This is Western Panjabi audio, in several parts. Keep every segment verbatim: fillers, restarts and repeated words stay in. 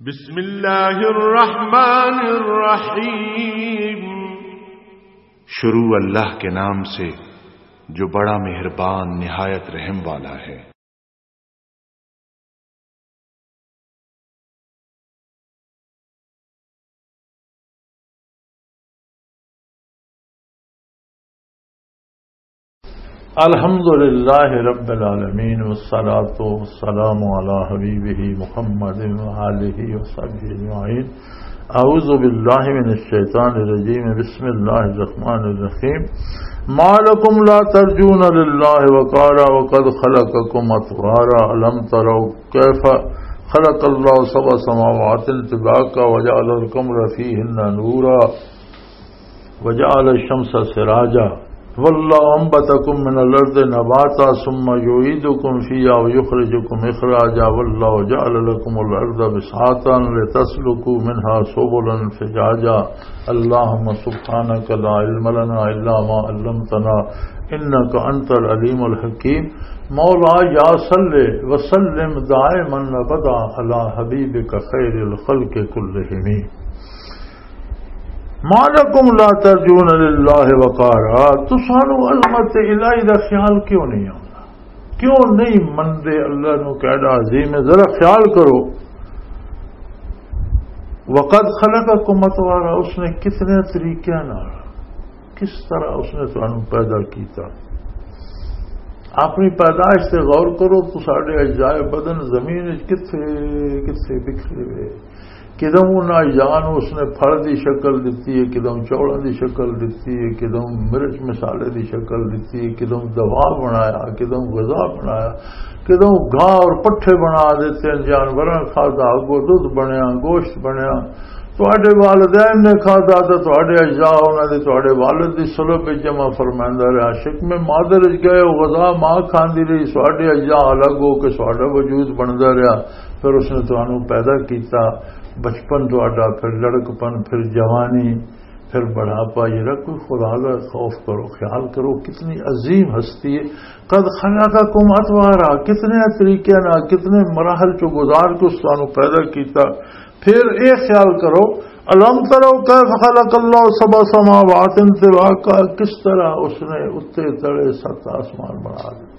بسم اللہ الرحمن الرحیم۔ شروع اللہ کے نام سے، جو بڑا مہربان، نہایت رحم والا ہے۔ الحمد لله رب العالمين، والصلاة والسلام على حبيبه محمد وآله وصحبه أجمعين. أعوذ بالله من الشيطان الرجيم. بسم الله الرحمن الرحيم. ما لكم لا ترجون لله وقارا وقد خلقكم أطوارا. ألم تروا كيف خلق الله سبع سماوات طباقا وجعل القمر فيهن نورا وجعل الشمس سراجا والله أنبتكم من الأرض نباتا ثم يعيدكم فيها ويخرجكم إخراجا والله جعل لكم الأرض بساطا لتسلكوا منها سبلا فجاجا. اللهم سبحانك لا علم لنا إلا ما علمتنا إنك أنت العليم الحكيم. مولا يا صل وسلم دائما أبدا على حبيبك خير الخلق كلهم. ما لكم لا ترجون لله وقارا، تسانو عظمت الہی دا خیال کیوں نہیں آتا؟ کیوں نہیں مندے اللہ نو؟ کیڑا عظیم ہے، ذرا خیال کرو۔ وقد خلقكم اطوارا، اس نے کتنے طریقے نال، کس طرح اس نے تانوں پیدا کیتا۔ اپنی پیدائش تے غور کرو تو ساڈے اجزائے بدن زمین وچ کتھے کتھے بکھرے ہوئے۔ کدوں انہاں اجزاء نوں اس نے پھل دی شکل دتی ہے، کدوں چولاں دی شکل دتی ہے، کدوں مرچ مسالے دی شکل دتی ہے، کدوں دوا بنایا، کدوں غذا بنایا، کدوں گھاہ اور پٹھے بنا دیتے ہیں، جانوراں کھادا، اگوں دودھ بنیا، گوشت بنیا۔ تہاڈے والدین نے کھادا تے تہاڈے اجزاء انہاں دے، تہاڈے والد دی صلب وچ جمع فرمائندا رہیا۔ شکم مادر وچ گئے، او غذا ماں کھاندی رہی، تہاڈے اجزاء الگ ہو کے تہاڈا وجود بندا رہیا۔ پھر اس نے تانوں پیدا کیتا، بچپن تہاڈا، پھر لڑکپن، پھر جوانی، پھر بڑھاپا۔ یہ رکھ کوئی خدا کا خوف کرو، خیال کرو، کتنی عظیم ہستی ہے۔ قد خلقکم اطوارا، کتنے طریقے نال، کتنے مراحل چوں گزار کے اس تانوں پیدا کیتا۔ پھر یہ خیال کرو، الم ترو کیف خلق اللہ سبع سماوات طباقا، کس طرح اس نے اتے تلے ست آسمان بنا دیتے۔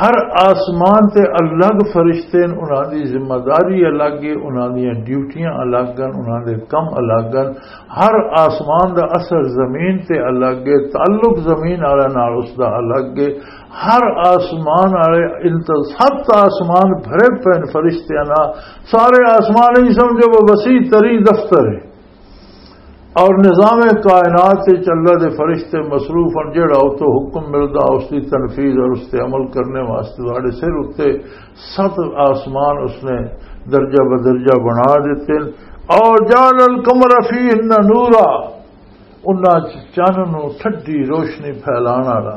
ہر آسمان تے الگ فرشتے نے، انہاں دی ذمہ داری الگ ہے، انہاں دیاں ڈیوٹیاں الگ ہیں، انہاں دے کم الگ ہیں۔ ہر آسمان دا اثر زمین تے الگ ہے، تعلق زمین والے نال اس دا الگ ہے۔ ہر آسمان والے انت-، ست آسمان بھرے پے نے فرشتیاں نال۔ سارے آسمان ہی سمجھو وہ وسیع ترین دفتر ہے۔ اور نظام کائنات وچ اللہ دے فرشتے مصروف ہیں، جڑا اتوں حکم ملدا اس دی تنفیذ اور اس تے عمل کرنے واسطے تہاڈے سر اتے ست آسمان اس نے درجہ بدرجہ بنا دیتے ہیں۔ اور جعل القمر فیہن نورا، انہاں چ چن نو ٹھڈی روشنی پھیلان والا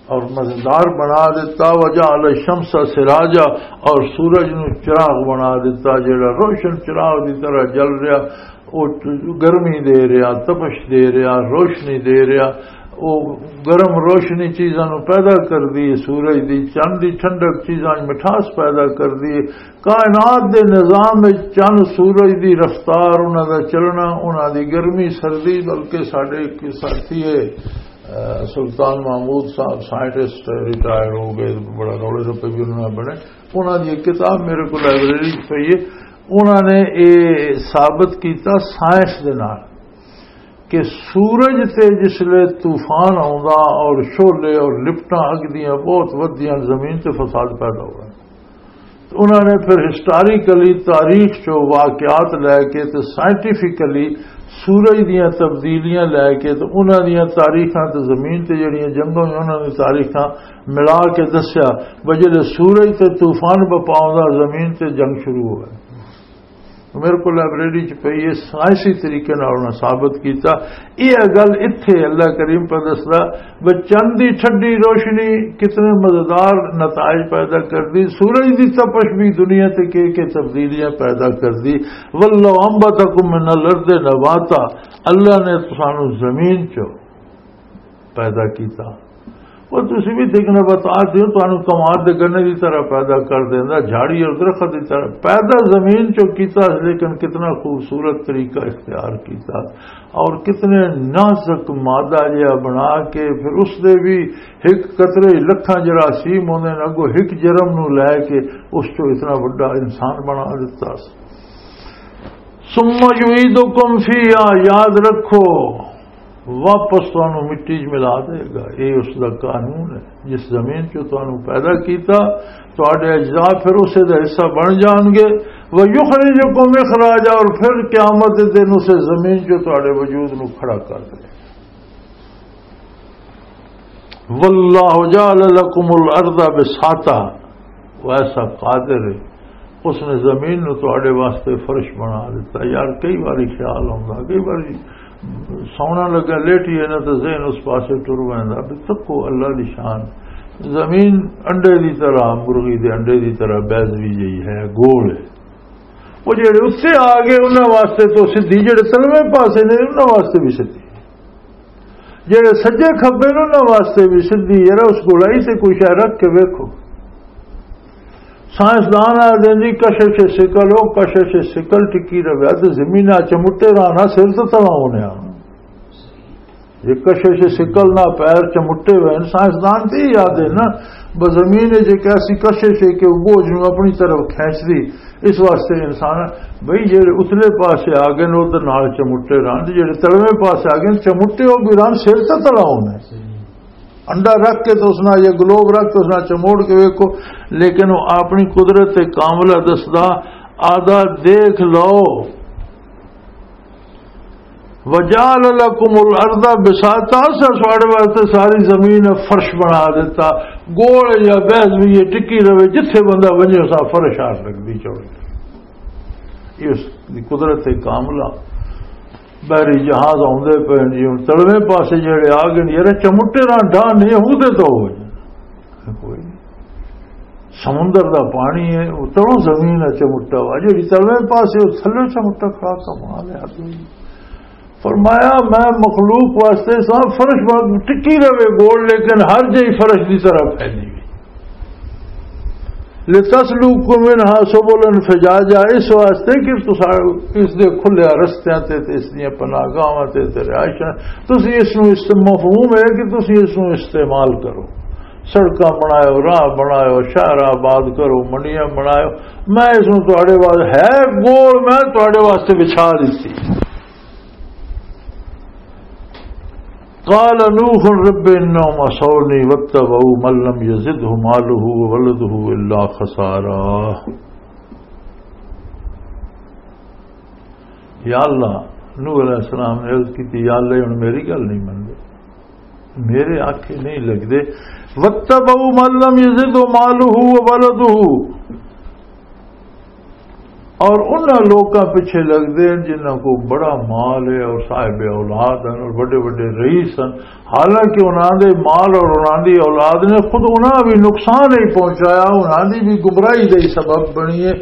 اور مزیدار بنا دیتا۔ وجعل الشمس سراجا، اور سورج نو چراغ بنا دیتا، جڑا روشن چراغ دی طرح جل رہا، وہ گرمی دے رہا، تپش دے رہا، روشنی دے رہا۔ وہ گرم روشنی چیزاں نو پیدا کر دی، سورج دی، چند دی ٹھنڈک چیزاں وچ مٹھاس پیدا کر دی۔ کائنات دے نظام وچ چند، سورج دی رفتار، انہاں دا چلنا، انہاں دی گرمی سردی، بلکہ ساڈے ایک ساتھی ہے، اہ، سلطان محمود صاحب، سائنٹسٹ، ریٹائر ہو گئے، بڑا رولے رپے بھی انہاں نے بنے۔ انہاں دی ایک کتاب میرے کو لائبریری وچ پئی ہے، انہاں نے یہ ثابت کیتا سائنس دے نال کہ سورج تے جس لے طوفان آوندا اور شعلے اور لپٹاں اگدیاں بہت ودیاں، زمین تے فساد پیدا ہو رہا ہے۔ انہاں نے پھر ہسٹوریکلی تاریخ چوں واقعات لے کے تے سائنٹیفکلی سورج دیاں تبدیلیاں لے کے تے انہاں دیاں تاریخاں تے زمین تے جڑیاں جنگاں ہوئیاں، انہاں دی تاریخاں ملا کے دسیا، وجہ سورج تے طوفان بپاؤں دا زمین تے جنگ شروع ہو گئے۔ میرے کو لائبریری چ پئی ہے، سائنسی طریقے نال انہاں ثابت کیتا۔ یہ گل اتھے اللہ کریم پہ دسدا، بچن دی ٹھڈی روشنی کتنے مزیدار نتائج پیدا کر دی، سورج دی تپش بھی دنیا تے کے کے تبدیلیاں پیدا کر دی۔ واللہ انبتکم من الارض نباتا، اللہ نے تسانو زمین چ پیدا کیتا۔ وہ تسی بھی دیکھنا بتا دیو، تانوں کماد دے گنے دی طرح پیدا کر دیندا، جھاڑی اور درخت دی طرح پیدا زمین چوں کیتا، لیکن کتنا خوبصورت طریقہ اختیار کیتا، اور کتنے نازک مادہ جہا بنا کے پھر اس دے بھی ایک قطرے لکھاں جراثیم ہوندے نے، اگوں ایک جرم نو لے کے اس چوں اتنا بڑا انسان بنا دیتا۔ ثم یعیدکم فیہا، یاد رکھو، واپس تانوں مٹی 'چ ملا دے گا۔ یہ اس دا قانون ہے، جس زمین چوں تانوں پیدا کیتا، تہاڈے اجزاء پھر اسے دا حصہ بن جان گے۔ وَيُخْرِجُكُمْ إِخْرَاجًا، اور پھر قیامت دے دن اسے زمین چوں تہاڈے وجود نو کھڑا کر دے۔ وَاللَّهُ جَعَلَ لَكُمُ الْأَرْضَ بِسَاطًا، وہ ایسا قادر ہے، اس نے زمین نو تہاڈے واسطے فرش بنا دیتا۔ یار، کئی واری خیال آوندا، کئی واری سونا لگا، لیٹی ہے نا، تو ذہن اس پاسے ٹر ویندا۔ بھی تکو اللہ دی شان، زمین انڈے دی طرح، مرغی دے انڈے دی طرح بیضوی جئی ہے، گول ہے۔ وہ جڑے اتنے آ گئے، انہاں واسطے تو سدھی، جڑے تلویں پاسے نے، انہاں واسطے بھی سدھی۔ جڑے سجے کھبے نے، انہاں واسطے بھی سدھی۔ یار، اس گولائی تے کوئی شے رکھ کے ویکھو۔ سائنسدان آ دے جی، کشش ثقل ہو، کشش ثقل ٹکی رہے، تے زمین آ چمٹے رہنا، سر تو تلا ہونے آ۔ یہ کشش ثقل نہ پیر چمٹے ہوئے ہیں، سائنسدان تے ہی یاد ہے نا، بس زمین ہے جے کیسی کشش ہے کہ وہ بوجھ نو اپنی طرف کھینچ دی۔ اس واسطے انسان، بھئی، جڑے اتلے پاسے آ گئے نے، ادھر نال چمٹے رہن، تے جڑے تلویں پاسے آ گئے نے، چمٹے ہو بھی رہن، سر تے تلا ہونا ہے۔ انڈا رکھ کے تو اس نال، یا گلوب رکھ کے اس نال چموڑ کے ویکھو، لیکن وہ اپنی قدرت کاملہ دسدا، آدھا دیکھ لو۔ وَجَعَلَ لَكُمُ الْأَرْضَ بِسَاطًا، اساں تہاڈے واسطے ساری زمین فرش بنا دیتا، گول یا بیضوی ٹکی رہے، جتھے بندہ ونجے اساں فرش آ سکدی چوڑی۔ یہ اس دی قدرت کاملہ۔ بحری جہاز آوندے پے نے جی، ہن تلویں پاسے جڑے آ گئے نے، یار چمٹے نہ ڈاہ نہیں ہوندے تو ہو جائے۔ کوئی نہیں۔ سمندر دا پانی ہے، اتروں زمین ہے چمٹا ہوا، جڑی تلویں پاسے او تھلے چمٹا کھڑا، کمال ہے آدمی۔ فرمایا، میں مخلوق واسطے سا فرش بنا ٹکی رہے گول، لیکن ہر جئی فرش دی طرح پھیلی ہوئی۔ لِتَسْلُكُوا مِنْهَا سُبُلًا فِجَاجًا، اس واسطے کہ تساں اس دے کھلے رستیاں تے، تے اس دیاں پناہگاہاں تے، تے رہائشاں، تسی اس نوں است-، مفہوم ہے کہ تسی اس نوں استعمال کرو، سڑکاں بناؤ، راہ بناؤ، شہر آباد کرو، منڈیاں بناؤ۔ میں اس نوں تہاڈے واسطے، ہے گول، میں تہاڈے واسطے بچھا دتی۔ قال نوح رب انهم عصوني واتبعوا من لم يزده ماله وولده الا خسارا۔ یا اللہ، نوح علیہ السلام نے عرض کی تھی، یا اللہ، ہن میری گل نہیں مندے، میرے آکھے نہیں لگدے۔ واتبعوا من لم يزده ماله وولده، اور انہاں لوکاں پیچھے لگدے ہیں جنہاں کو بڑا مال ہے اور صاحب اولاد ہیں اور بڑے بڑے رئیس ہیں، حالانکہ انہاں دے مال اور انہاں دی اولاد نے خود انہاں بھی نقصان ہی پہنچایا، انہاں دی بھی گمراہی دا ہی سبب بنی ہے،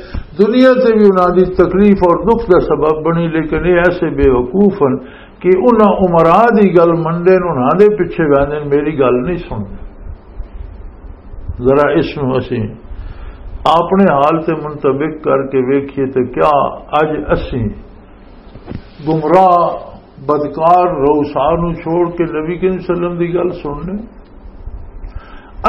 دنیا تے بھی انہاں دی تکلیف اور دکھ دا سبب بنی، لیکن یہ ایسے بے وقوف ہیں کہ انہاں عمرا دی گل منڈے نے، انہاں دے پیچھے ویندے نے، میری گل نہیں سنتے۔ ذرا اس نوں اسی اپنے حال تے منطبق کر کے ویکھیے تے کیا اج اسی گمراہ، بدکار، روسا نوں چھوڑ کے نبی کریم صلی اللہ علیہ وسلم دی گل سننے؟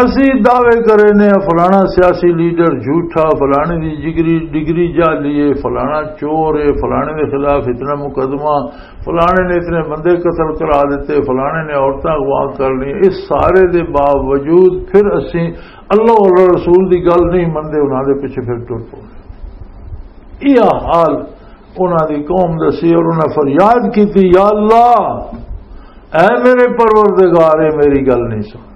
اسی دعوے کرے نے فلانا سیاسی لیڈر جھوٹا، فلانے دی جگری ڈگری جعلی ہے، فلانا چور ہے، فلانے دے خلاف اتنا مقدمہ، فلانے نے اتنے بندے قتل کرا دیتے، فلانے نے عورتاں اغوا کر لی۔ اس سارے دے باوجود پھر اسی اللہ اور رسول دی گل نہیں مندے، انہاں دے پیچھے پھر ٹر پو۔ یہ حال انہاں دی قوم دسی اور انہاں فریاد کی تھی، یا اللہ، اے میرے پروردگار، اے میری گل نہیں سن۔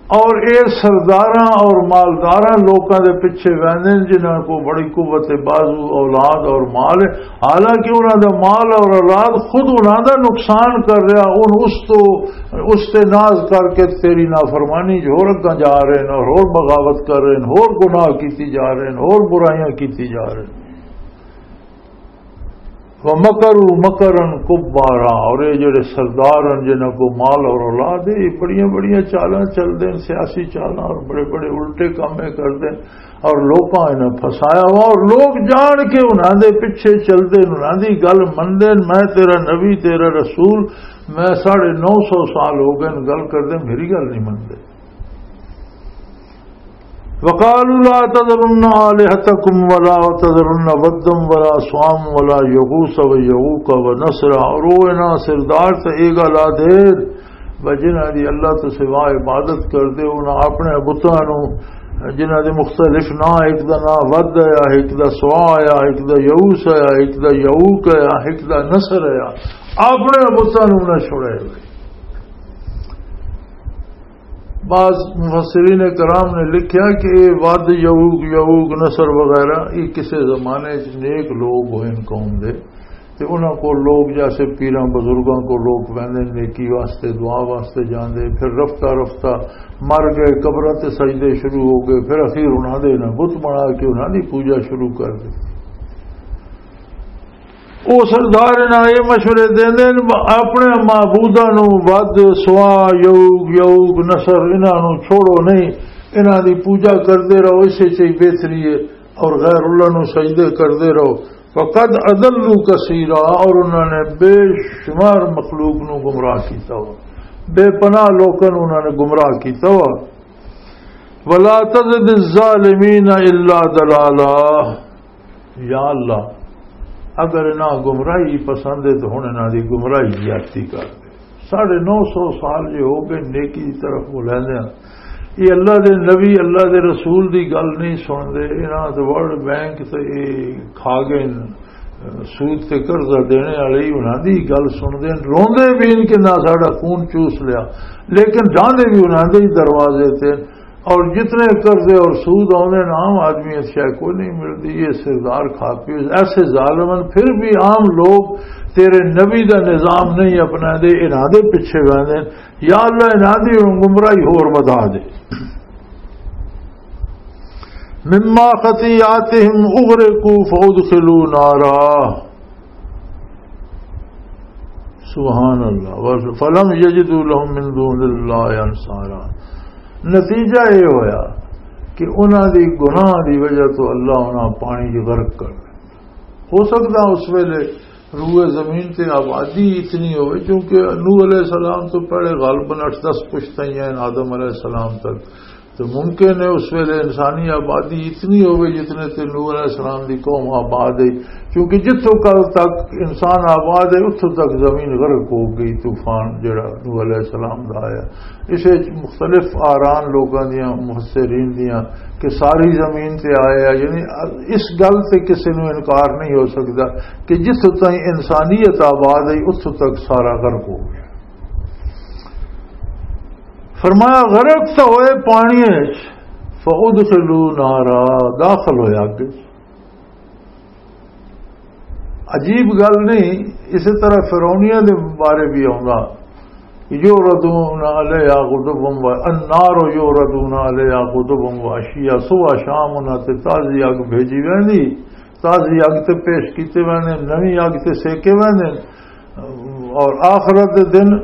اور اے سرداراں اور مالداراں لوکاں دے پیچھے ویندے نے جنہاں کو بڑی قوت بازو، اولاد اور مال ہے، حالانکہ انہاں دا مال اور اولاد خود انہاں دا نقصان کر رہا، ان اس تو، اس تے ناز کر کے تیری نافرمانی جو ہور اگاں جا رہے ہیں اور ہور بغاوت کر رہے ہیں، ہور گناہ کیتی جا رہے ہیں، ہور برائیاں کیتی جا رہے ہیں۔ وَمَكَرُوا مَكْرًا كُبَّارًا، اور یہ جڑے سردار ہیں جنہاں کو مال اور اولاد ہے، یہ بڑیاں بڑیاں چالاں چل دے، سیاسی چالاں، اور بڑے بڑے الٹے کام یہ کر دے، اور لوکاں انہاں پھسایا ہوا، اور لوگ جان کے انہاں دے پیچھے چل دے، انہاں دی گل من دے۔ میں تیرا نبی، تیرا رسول، میں ساڑھے نو سو سال ہو گئے گل کر دے، میری گل نہیں من دے۔ وقالوا لا تذرن آلهتكم ولا تذرن ودا ولا سواعا ولا يغوث ويعوق ونسرا۔ اور وہ انہاں سردار تے اے گل آ دے، بھئی جنہاں دی اللہ تو سوا عبادت کر دے، انہاں اپنے بتاں نوں، جنہاں دے مختلف ناں، ایک دا ناں ود ہے، ایک دا سواع ہے، ایک دا یعوث ہے، ایک دا یعوق ہے، ایک دا نسر ہے، اپنے بتاں نوں نہ چھوڑے۔ بعض مفسرین کرام نے لکھیا کہ یہ ود، یعوق، یعوق، نصر وغیرہ، یہ کسے زمانے چ نیک لوگ ہوئے قوم دے، تے انہاں کو لوگ، جیسے پیراں بزرگاں کو لوگ ویندے نیکی واسطے، دعا واسطے جاندے، پھر رفتہ رفتہ مر گئے، قبراں تے سجدے شروع ہو گئے، پھر اخیر انہاں دے انہاں بت بنا کے انہاں دی پوجا شروع کر دی۔ او سردار انہاں اے مشورے دیندے نے، اپنے معبوداں نوں ود، سوا، یعوق، یعوق، نصر، انہاں نوں چھوڑو نہیں، انہاں دی پوجا کردے رہو، اسے چ ہی بہتری ہے، اور غیر اللہ نوں سجدے کردے رہو۔ فقد اضلوا کثیرا، اور انہاں نے بے شمار مخلوق نوں گمراہ کیتا ہوا، بے پناہ لوکاں نوں انہاں نے گمراہ کیتا ہوا۔ ولا تزد الظالمین الا ضلالا۔ یا اللہ، اگر انہاں گمراہی پسند ہے تو ہن انہاں دی گمراہی زیادتی کر دے۔ ساڑھے نو سو سال جو ہو گئے نیکی دی طرف بلاندے ہیں، یہ اللہ دے نبی، اللہ دے رسول دی گل نہیں سن دے۔ انہاں تے ورلڈ بینک تے یہ کھا گئے، سود تے قرضہ دینے والے ہی انہاں دی گل سن دے، روندے بھی ان کہ نہ ساڑا خون چوس لیا، لیکن جاندے بھی انہاں دے ہی دروازے تے۔ اور جتنے قرضے اور سود آوندے نے، عام آدمی اس شے کو نہیں ملدی، یہ سردار کھا پی۔ ایسے ظالمن پھر بھی عام لوگ تیرے نبی دا نظام نہیں اپنا دے، انہاں دے پیچھے ویندے۔ یا اللہ، انہاں دی گمراہی ہور ودھا دے۔ مما خطیاتہم اغرقوا فادخلوا نارا۔ سبحان اللہ۔ فلم یجدوا لهم من دون اللہ انصارا۔ نتیجہ یہ ہویا کہ انہاں دی گناہ دی وجہ تو اللہ انہاں پانی چ غرق کر دے۔ ہو سکدا اس ویلے روئے زمین تے آبادی اتنی ہوئے، کیونکہ نوح علیہ السلام تو پہلے غالباً اٹھ دس پشتیاں ہیں آدم علیہ السلام تک۔ تو ممکن ہے اس ویلے انسانی آبادی اتنی ہوئے جتنے تے نوح علیہ السلام دی قوم آباد ہے، کیونکہ جتھوں کل تک انسان آباد ہے، اتھوں تک زمین غرق ہو گئی، طوفان جڑا نوح علیہ السلام دا آیا۔ اسے وچ مختلف آران لوگاں دیاں، مفسرین دیاں، کہ ساری زمین تے آیا، یعنی اس گل تے کسی نوں انکار نہیں ہو سکدا کہ جتھوں تائیں انسانیت آباد ہے، اتھوں تک سارا غرق ہو گیا۔ فرمایا، غرق تو ہوئے پانی وچ، فادخلوا نارا، داخل ہوئے اگ وچ۔ عجیب گل نہیں، اسی طرح فرعونیاں دے بارے بھی آوندا، یعرضون علیہا غدوا و، النار یعرضون علیہا غدوا و عشیا، صبح شام انہاں تے تازی اگ بھیجی ویندی، تازی اگ تے پیش کیتے ویندے، نویں اگ تے سیکے ویندے۔ اور آخرت دے دن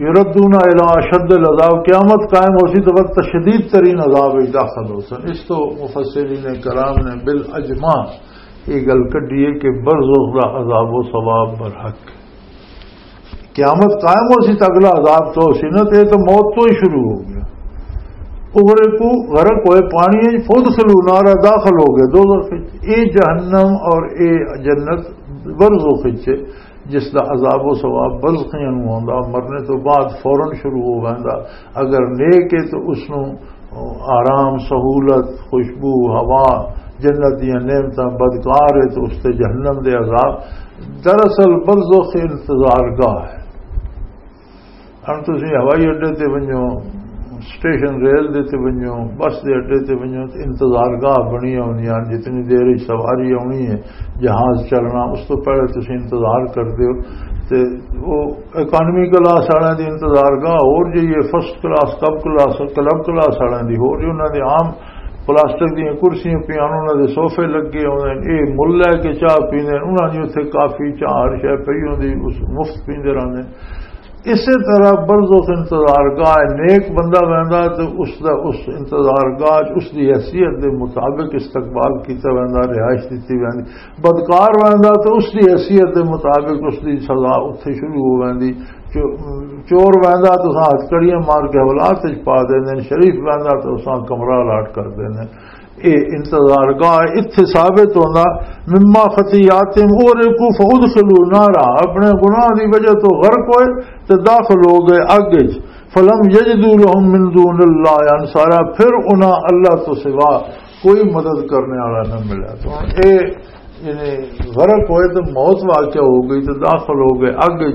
یردون الی اشد العذاب، قیامت قائم ہو سی تو وقت شدید ترین عذاب وچ داخل ہو سن۔ اس تو مفسرین کرام نے بالاجماع یہ گل کڈی ہے کہ برزخ دا عذاب و ثواب برحق۔ قیامت قائم ہو سی تو اگلا عذاب تو ہو سی نا، تو یہ تو موت تو ہی شروع ہو گیا۔ اغرقوا، غرق ہوئے پانی وچ، فادخلوا نارا، داخل ہو گئے دوزخ وچ۔ اے جہنم اور اے جنت برزخ وچ، جس دا عذاب و ثواب برزخیاں نوں ہوندا، مرنے تو بعد فوراً شروع ہو ویندا۔ اگر نیک ہے تو اس نوں آرام، سہولت، خوشبو، ہوا، جنت دیاں نعمتاں، بدکار ہے تو اس تے جہنم دے عذاب۔ دراصل برزخ انتظار گاہ ہے۔ ہن تسی ہوائی اڈے تے ونجو، سٹیشن ریل دے تے ونجو، بس دے اڈے تے ونجو، تے انتظار گاہ بنی ہوندی ہیں۔ جتنی دیر وچ سواری آنی ہے، جہاز چلنا، اس تو پہلے تسی انتظار کردے ہو۔ تے وہ اکانومی کلاس والے دی انتظار گاہ ہور جی ہے، فرسٹ کلاس، کب کلاس، کلب کلاس والے دی ہور جی، انہاں دے عام پلاسٹک دیاں کرسیاں پیاں، انہاں دے صوفے لگے ہوندے نے، اے مل لے کے چاہ پیندے نے، انہاں دی اتھے کافی چاہ ہر شے پئی ہوندی، اس مفت پیندے رہندے نے۔ اسے طرح برزخ انتظار گاہ ہے، نیک بندہ ویندا تے اس دا، اس انتظار گاہ چ اس دی حیثیت دے مطابق استقبال کیتا ویندا، رہائش دتی ویندی۔ بدکار ویندا تے اس دی حیثیت دے مطابق اس دی سزا اتھے شروع ہو ویندی۔ چو-، چور ویندا تے اساں ہتھکڑیاں مار کے حوالات وچ پا دیندے نے، شریف ویندا تے اساں کمرہ الاٹ کر دیندے نے۔ اے انتظار گاہ اتھے ثابت ہوندا، مما خطیاتہم اغرقوا فادخلوا نارا، اپنے گناہ دی وجہ تو غرق ہوئے تے داخل ہو گئے اگ وچ۔ فلم یجدوا لهم من دون اللہ انصارا، پھر انہاں اللہ تو سوا کوئی مدد کرنے والا نہ ملا۔ تو ہن اے یعنی غرق ہوئے تو موت واقع ہو گئی تو داخل ہو گئے اگ۔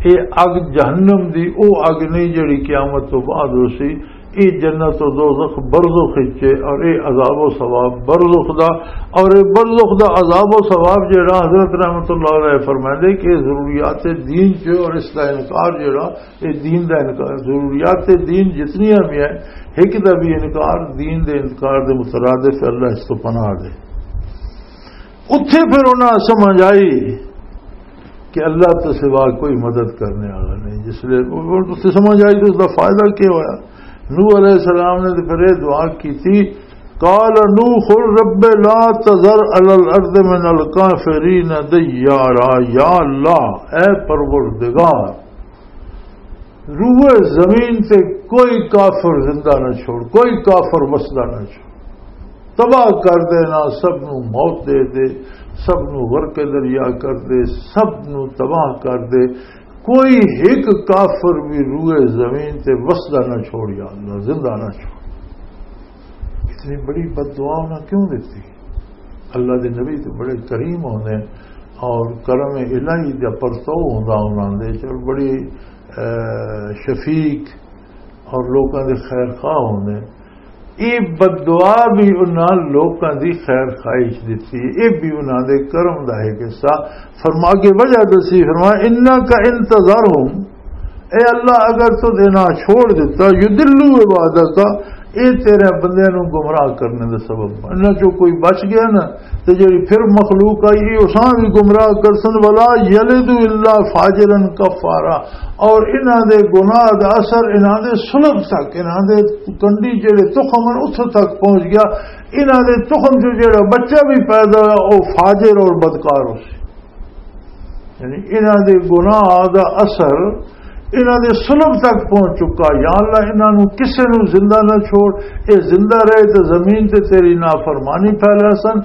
اے اگ جہنم دی او اگ نہیں جڑی قیامت تو بعد ہو سی۔ اے جنت و دوزخ برزخ وچ ہے اور اے عذاب و ثواب برزخ دا۔ اور اے برزخ دا عذاب و ثواب جڑا حضرت رحمت اللہ علیہ فرمائے کہ اے ضروریات دین چ اور اس دا انکار جڑا، اے دین دا انکار، ضروریات دین جتنیاں بھی ہیں، ایک دا بھی انکار دین دے انکار دے مترادف ہے۔ اللہ اس تو پناہ دے۔ اتھے پھر انہاں سمجھ آئی کہ اللہ تو سوا کوئی مدد کرنے والا نہیں۔ جس لئے اتھے سمجھ آئی تو اس دا فائدہ کیا ہویا؟ نوح علیہ السلام نے تو پھر یہ دعا کی تھی، قال نوح رب لا تذر علی الارض من الکافرین دیارا، یا اللہ، اے پروردگار، روئے زمین تے کوئی کافر زندہ نہ چھوڑ، کوئی کافر وسدا نہ چھوڑ، تباہ کر دینا، سب نو موت دے دے، سب نو غرق دریا کر دے، سب نو تباہ کر دے، کوئی ایک کافر بھی روئے زمین تے وسدا نہ چھوڑ، یا اللہ، زندہ نہ چھوڑ۔ اتنی بڑی بد دعا انہاں کیوں دیتی؟ اللہ دے نبی تے بڑے کریم ہوندے اور کرم الہی دا پرتو ہوندا انہاں دے وچ، اور بڑی، اے، شفیق اور لوکاں دے خیر خواہ ہوندے۔ یہ بد دعا بھی انہاں لوکاں دی خیر خواہی چ دتی، یہ بھی انہاں دے کرم دا ایک حصہ۔ فرما کے وجہ دسی، فرمایا، انک ان تذرہم، اے اللہ، اگر تو دینا چھوڑ دیتا، یضلوا عبادک، اے تیرے بندے نو گمراہ کرنے دا سبب بن۔ انہاں چوں کوئی بچ گیا نا، تے جڑی پھر مخلوق آئی، اے اساں بھی گمراہ کرسن، ولا یلدوا الا فاجرا کفارا، اور انہاں دے گناہ دا اثر انہاں دے صلب تک، انہاں دے کنڈی جڑے تخم ہن، اتھوں تک پہنچ گیا۔ انہاں دے تخم چوں جڑا بچہ بھی پیدا ہویا، او فاجر اور بدکار ہو سی۔ یعنی انہاں دے گناہ دا اثر انہاں دے صلب تک پہنچ چکا۔ یا اللہ، انہاں نو کسے نو زندہ نہ چھوڑ، اے زندہ رہے تے زمین تے تیری نافرمانی پھیلا سن،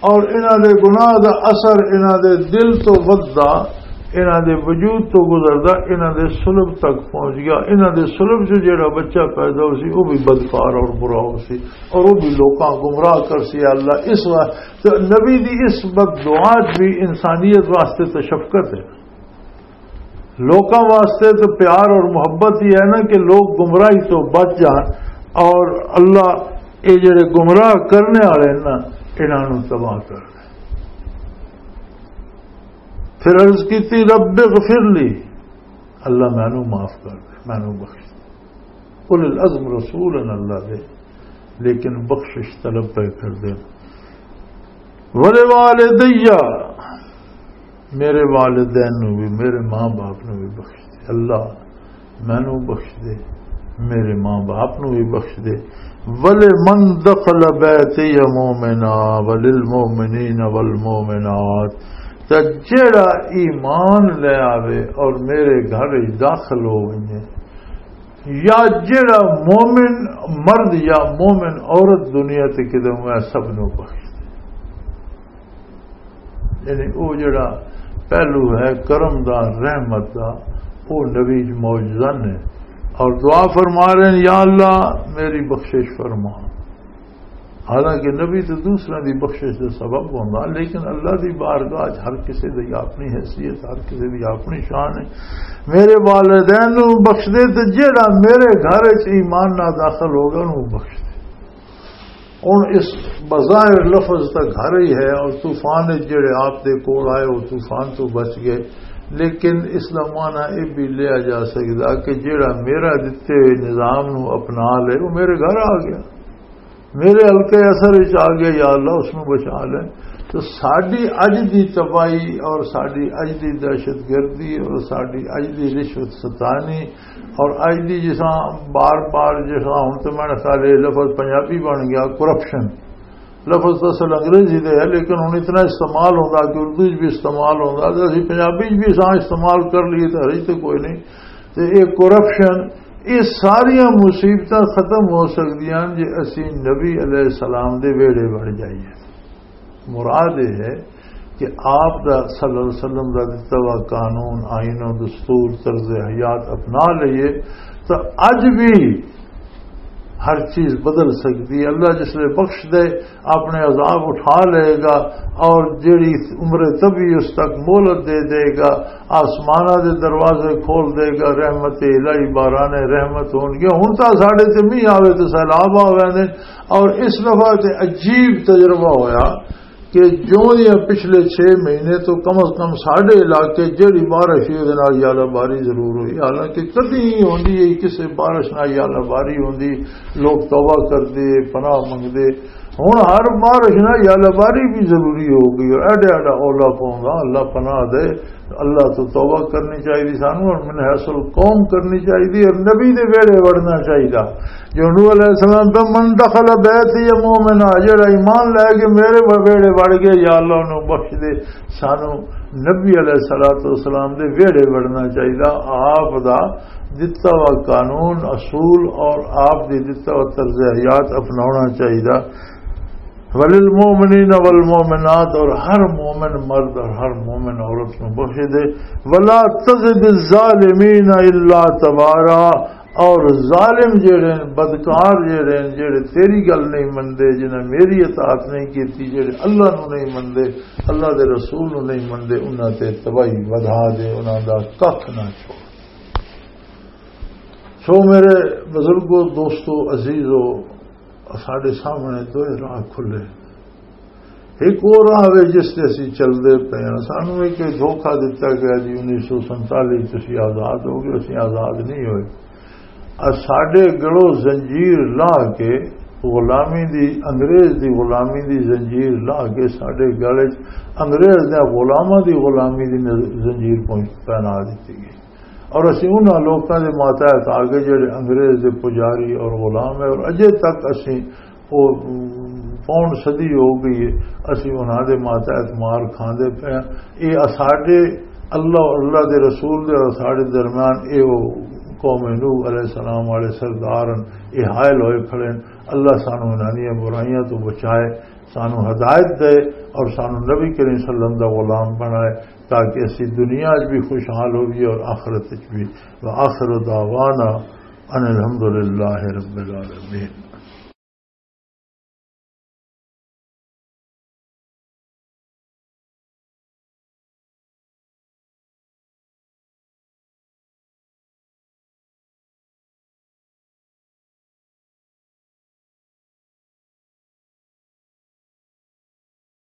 اور انہاں دے گناہ دا اثر انہاں دے دل تو وددا، انہاں دے وجود تو گزردا، انہاں دے صلب تک پہنچ گیا۔ انہاں دے صلب چ جڑا بچہ پیدا ہو سی، وہ بھی بدکار اور برا ہو سی، اور وہ بھی لوکاں گمراہ کر سی۔ اللہ، اس واسطے نبی دی اس بد دعا چ بھی انسانیت واسطے تو شفقت ہے، لوکاں واسطے تو پیار اور محبت ہی ہے نا کہ لوگ گمراہی تو بچ جان، اور اللہ، یہ جڑے گمراہ کرنے والے ہیں نا، انہاں نوں تباہ کر دے۔ پھر عرض کیتی، رب اغفر لی، اللہ مینوں معاف کر دے، مینوں بخش دے۔ اولو العزم رسول ہیں اللہ دے، لیکن بخشش طلب پہ کر دے۔ ولوالدی، میرے والدین نو بھی، میرے ماں باپ نو بھی بخش دے۔ اللہ مینوں بخش دے، میرے ماں باپ نو بھی بخش دے۔ ولمن دخل بیتی مؤمنا وللمؤمنین والمؤمنات، تے جیڑا ایمان لے آوے اور میرے گھر وچ داخل ہو ونجے، یا جیڑا مومن مرد یا مومن عورت دنیا تے کدے ہوئے، سب نو بخش دے۔ یعنی او جڑا پہلو ہے کرم دا، رحمت دا، او نبی چ موجزن ہے۔ اور دعا فرما رہے ہیں، یا اللہ، میری بخشش فرما۔ حالانکہ نبی تو دوسرے دی بخشش دا سبب ہوندا، لیکن اللہ دی بارگاہ چ ہر کسی دی اپنی حیثیت، ہر کسی دی اپنی شان ہے۔ میرے والدین نو بخش دے، تے جیڑا میرے گھر وچ ایمان نہ داخل ہوگا، اونوں بخش دے۔ ہن اس بظاہر لفظ تاں گھر ہی ہے، اور طوفان وچ جڑے آپ دے کول آئے، وہ طوفان تو بچ گئے۔ لیکن اس دا معنی یہ بھی لیا جا سکدا کہ جڑا میرا دتے ہوئے نظام نو اپنا لے، وہ میرے گھر آ گیا۔ میرے حلقے اثر وچ آ گیا، یا اللہ، اس نوں بچا لے۔ تو ساڈی اج دی تباہی اور ساڈی اج دی دہشت گردی اور ساڈی اج دی رشوت ستانی اور اج دی، جس طرح بار بار، جس طرح ہن تے میرے خیال یہ لفظ پنجابی بن گیا، کرپشن۔ لفظ تو اصل انگریزی دے ہے، لیکن ہن اتنا استعمال ہوندا کہ اردو وچ بھی استعمال ہوندا، تے اسی پنجابی وچ بھی اساں استعمال کر لئیے تے حرج تے کوئی نہیں۔ تے یہ کرپشن، یہ ساریاں مصیبتاں ختم ہو سکدیاں جے اسی نبی علیہ السلام دے ویڑے بن جائیے۔ مراد یہ ہے کہ آپ دا، صلی اللہ علیہ وسلم دا دتا ہوا قانون، آئین و دستور، طرز حیات اپنا لئیے، تو اج بھی ہر چیز بدل سکتی ہے۔ اللہ جس لئے بخش دے، اپنے عذاب اٹھا لے گا، اور جیڑی عمر طبی اس تک مہلت دے دے گا، آسمانہ دے دروازے کھول دے گا، رحمت الہی، باران رحمت ہون گیا۔ ہن تاں ساڈے تے مینہ آوے تے سیلاب آ ویندے۔ اور اس دفعہ تے عجیب تجربہ ہویا کہ جو یہ پچھلے چھ مہینے تو کم از کم ساڈے علاقے جیڑی بارش ہوئی، اودے نال یالا باری ضرور ہوئی، حالانکہ کدی نہیں ہوندی ہے کسے بارش نال یالا باری ہوندی۔ لوگ توبہ کردے، پناہ منگدے۔ ہن ہر بارش نال یالا باری بھی ضروری ہو گئی، اور ایڈا ایڈا اولا پوندا، اللہ پناہ دے۔ اللہ تو توبہ کرنی چاہیے سانو، اور من حیث القوم کرنی چاہیے، اور نبی دے ویڑے وڑنا چاہیے۔ جو نوح علیہ السلام تو، "من دخل بیتی مومنا"، جڑا ایمان لے کے میرے ویڑے وڑ گئے، یا اللہ انہوں بخش دے۔ سانو نبی علیہ الصلوۃ والسلام دے ویڑے وڑنا چاہیے۔ آپ دا دتا ہوا قانون، اصول اور آپ دی دتا ہوا طرز حیات اپناونا چاہیے۔ وللمؤمنین والمؤمنات، اور ہر مومن مرد اور ہر مومن عورت نو بخش دے۔ ولا تزد الظالمین الا تبارا، اور ظالم جڑے ہیں، بدکار جڑے ہیں، جڑے تیری گل نہیں مندے، جنہیں میری اطاعت نہیں کیتی، جڑے اللہ نو نہیں مندے، اللہ دے رسول نو نہیں مندے، انہاں تے تباہی ودھا دے، انہاں دا ککھ نہ چھوڑ۔ سو میرے بزرگو، دوستو، عزیزو، ساڈے سامنے دوئے راہ کھلے۔ ایک وہ راہ وے جس تے اسی چلدے پئے ہاں۔ سانو ایک دھوکا دتا گیا جی، انیس سو سینتالیس تسی آزاد ہو گئے، اسی آزاد نہیں ہوئے۔ اور ساڈے گلوں زنجیر لا کے، غلامی دی، انگریز دی غلامی دی زنجیر لا کے ساڈے گل وچ انگریز دے غلاماں دی غلامی دی نز-، زنجیر پہنچ-، پہنا دتی گئی۔ اور اسی انہاں لوکاں دے ماتحت آ گئے جڑے انگریز دے پجاری اور غلام ہے، اور اجے تک اسی، او، پون صدی ہو گئی ہے، اسی انہاں دے ماتحت مار کھاندے پئے ہاں۔ اے اساڈے اللہ اور اللہ دے رسول دے اور ساڈے درمیان اے او قوم نوح علیہ السلام والے سردار ہن، اے حائل ہوئے کھڑے ہن۔ اللہ سانو انہاں دیاں برائیاں تو بچائے، سانو ہدایت دے اور سانو نبی کریم صلی اللہ علیہ وسلم دا غلام بنائے، تاکہ اسی دنیا وچ بھی خوشحال ہوئیے اور آخرت وچ بھی۔ وآخر دعوانا ان الحمدللہ رب العالمین۔